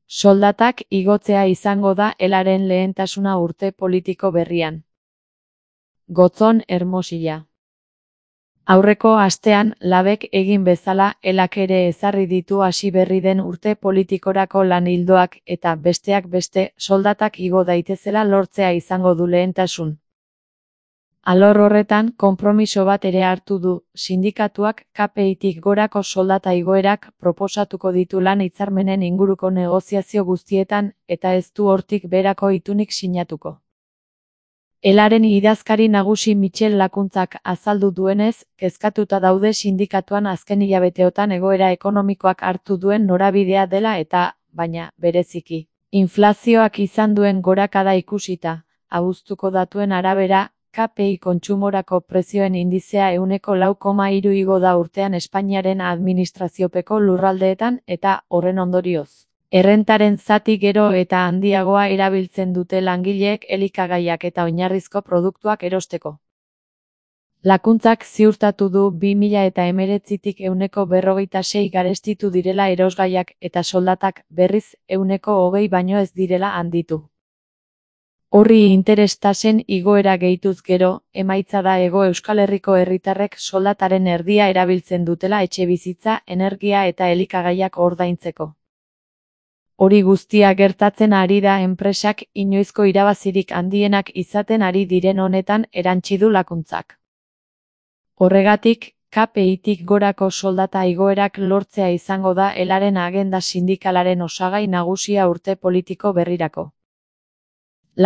Soldatak igotzea izango da elaren lehentasuna urte politiko berrian. Gotzon Hermosilla. Aurreko astean, labek egin bezala, elak ere ezarri ditu hasi berri den urte politikorako lan ildoak eta besteak beste, soldatak igo daitezela lortzea izango du lehentasun. Alor horretan, konpromiso bat ere hartu du, sindikatuak KPI-tik gorako soldata igoerak proposatuko ditu lan hitzarmenen inguruko negoziazio guztietan eta ez du hortik berako itunik sinatuko. Elaren idazkari nagusi Michel Lakuntzak azaldu duenez, kezkatuta daude sindikatuan azken hilabeteotan egoera ekonomikoak hartu duen norabidea dela eta, baina, bereziki, inflazioak izan duen gorakada ikusita, abuztuko datuen arabera, KPI kontsumorako prezioen indizea 6,3 igo da urtean Espainiaren administraziopeko lurraldeetan eta, horren ondorioz, errentaren zati gero eta handiagoa erabiltzen dute langileek elikagaiak eta oinarrizko produktuak erosteko. Lakuntzak ziurtatu du 2019tik 6% garestitu direla erosgaiak eta soldatak berriz 20% baino ez direla handitu. Horri interestasen igoera gehituz gero, emaitza da Hego Euskal Herriko herritarrek soldataren erdia erabiltzen dutela etxebizitza, energia eta elikagaiak ordaintzeko. Hori guztia gertatzen ari da enpresak inoizko irabazirik handienak izaten ari diren honetan erantsi du Lakuntzak. Horregatik, KPI-tik gorako soldata igoerak lortzea izango da elaren agenda sindikalaren osagai nagusia urte politiko berrirako.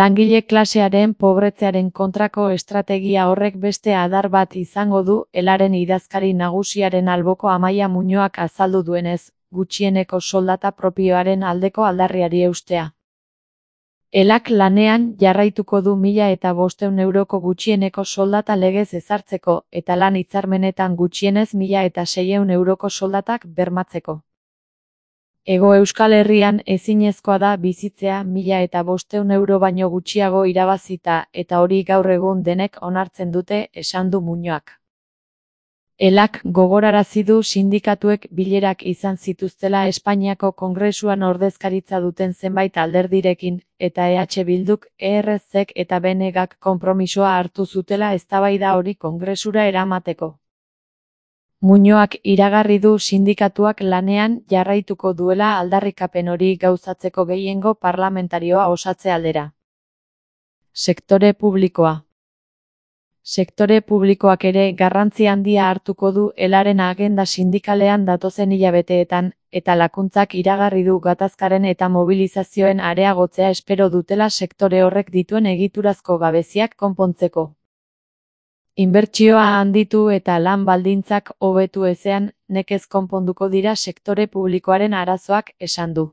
Langile klasearen pobretzearen kontrako estrategia horrek beste adar bat izango du elaren idazkari nagusiaren alboko Amaia Muñoak azaldu duenez, gutxieneko soldata propioaren aldeko aldarriari eustea. Elak lanean jarraituko du 1.500 euroko gutxieneko soldata legez ezartzeko eta lan hitzarmenetan gutxienez 1.600 euroko soldatak bermatzeko. Hego Euskal Herrian ezinezkoa da bizitzea 1.500 euro baino gutxiago irabazita eta hori gaur egun denek onartzen dute, esan du Muñoak. Elak gogorarazi du sindikatuek bilerak izan zituztela Espainiako Kongresuan ordezkaritza duten zenbait alderdirekin, eta EH Bilduk, ERZ-ek eta BNGak konpromisoa hartu zutela eztabaida hori Kongresura eramateko. Muñoak iragarri du sindikatuak lanean jarraituko duela aldarrikapen hori gauzatzeko gehiengo parlamentarioa osatze aldera. Sektore publikoa. Sektore publikoak ere garrantzi handia hartuko du elaren agenda sindikalean datozen hilabeteetan, eta Lakuntzak iragarri du gatazkaren eta mobilizazioen areagotzea espero dutela sektore horrek dituen egiturazko gabeziak konpontzeko. Inbertsioa handitu eta lan baldintzak hobetu ezean, nekez konponduko dira sektore publikoaren arazoak, esan du.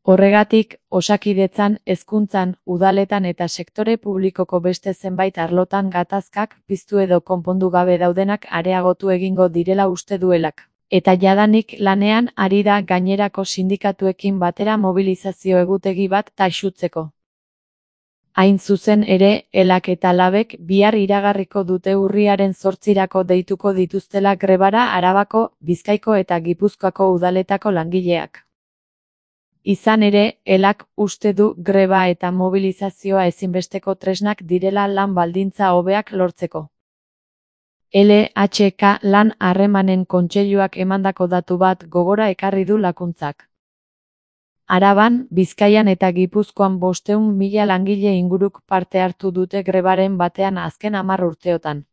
Horregatik, osakidetzan, hezkuntzan, udaletan eta sektore publikoko beste zenbait arlotan gatazkak piztu edo konpondu gabe daudenak areagotu egingo direla uste duelak. Eta jadanik lanean ari da gainerako sindikatuekin batera mobilizazio egutegi bat taxutzeko. Hain zuzen ere, elak eta labek bihar iragarriko dute urriaren 8irako deituko dituztela grebara Arabako, Bizkaiko eta Gipuzkoako udaletako langileak. Izan ere, elak uste du greba eta mobilizazioa ezinbesteko tresnak direla lan baldintza hobeak lortzeko. LHK lan harremanen kontseiluak emandako datu bat gogora ekarri du Lakuntzak. Araban, Bizkaian eta Gipuzkoan 500.000 langile inguruk parte hartu dute grebaren batean azken 10 urteotan.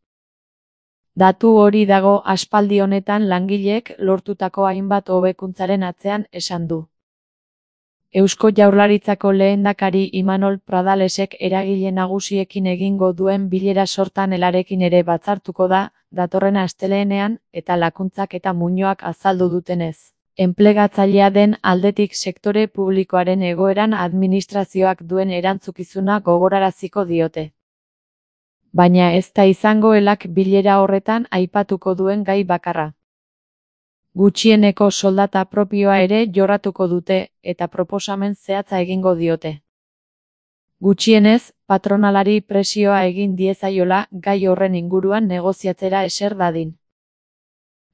Datu hori dago aspaldi honetan langileek lortutako hainbat hobekuntzaren atzean, esan du. Eusko Jaurlaritzako lehendakari Imanol Pradalesek eragile nagusiekin egingo duen bilera sortan elarekin ere batzartuko da, datorren astelehenean, eta Lakuntzak eta Muñoak azaldu dutenez. Enplegatzailea den aldetik sektore publikoaren egoeran administrazioak duen erantzukizuna gogoraraziko diote. Baina ez da izango elak bilera horretan aipatuko duen gai bakarra. Gutxieneko soldata propioa ere jorratuko dute, eta proposamen zehatza egingo diote. Gutxienez, patronalari presioa egin diezaiola gai horren inguruan negoziatzera eser dadin.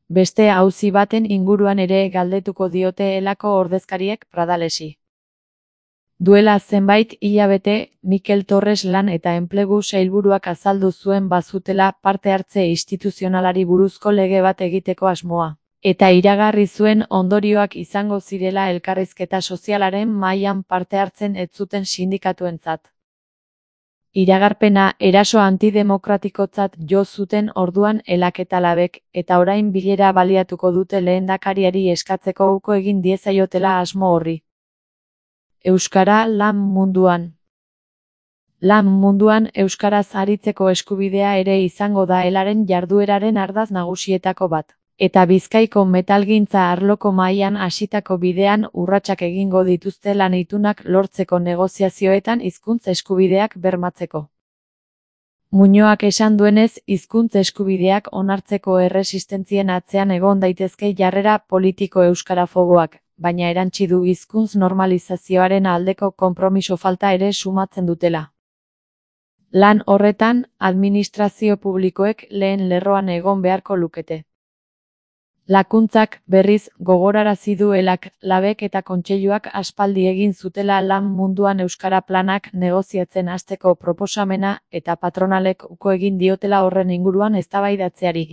Beste auzi baten inguruan ere galdetuko diote elako ordezkariek Pradalesi. Duela zenbait hilabete, Mikel Torres lan eta enplegu sailburuak azaldu zuen bazutela parte hartze instituzionalari buruzko lege bat egiteko asmoa. Eta iragarri zuen ondorioak izango zirela elkarrizketa sozialaren mahaian parte hartzen ez zuten sindikatuentzat. Iragarpena eraso antidemokratikotzat jo zuten orduan Elak eta Labek, eta orain bilera baliatuko dute lehendakariari eskatzeko uko egin diezaiotela asmo horri. Euskara lan munduan. Lan munduan euskaraz aritzeko eskubidea ere izango da Elaren jardueraren ardatz nagusietako bat. Eta Bizkaiko metalgintza arloko mahaian hasitako bidean urratsak egingo dituzte lan itunak lortzeko negoziazioetan hizkuntza eskubideak bermatzeko. Muñoak esan duenez, hizkuntza eskubideak onartzeko erresistentzien atzean egon daitezke jarrera politiko euskarafoboak, baina erantsi du hizkuntz normalizazioaren aldeko konpromiso falta ere sumatzen dutela. Lan horretan, administrazio publikoek lehen lerroan egon beharko lukete. Lakuntzak, berriz, gogorarazi du Elak, Labek eta Kontseiluak aspaldi egin zutela lan munduan euskara planak negoziatzen hasteko proposamena eta patronalek uko egin diotela horren inguruan eztabaidatzeari.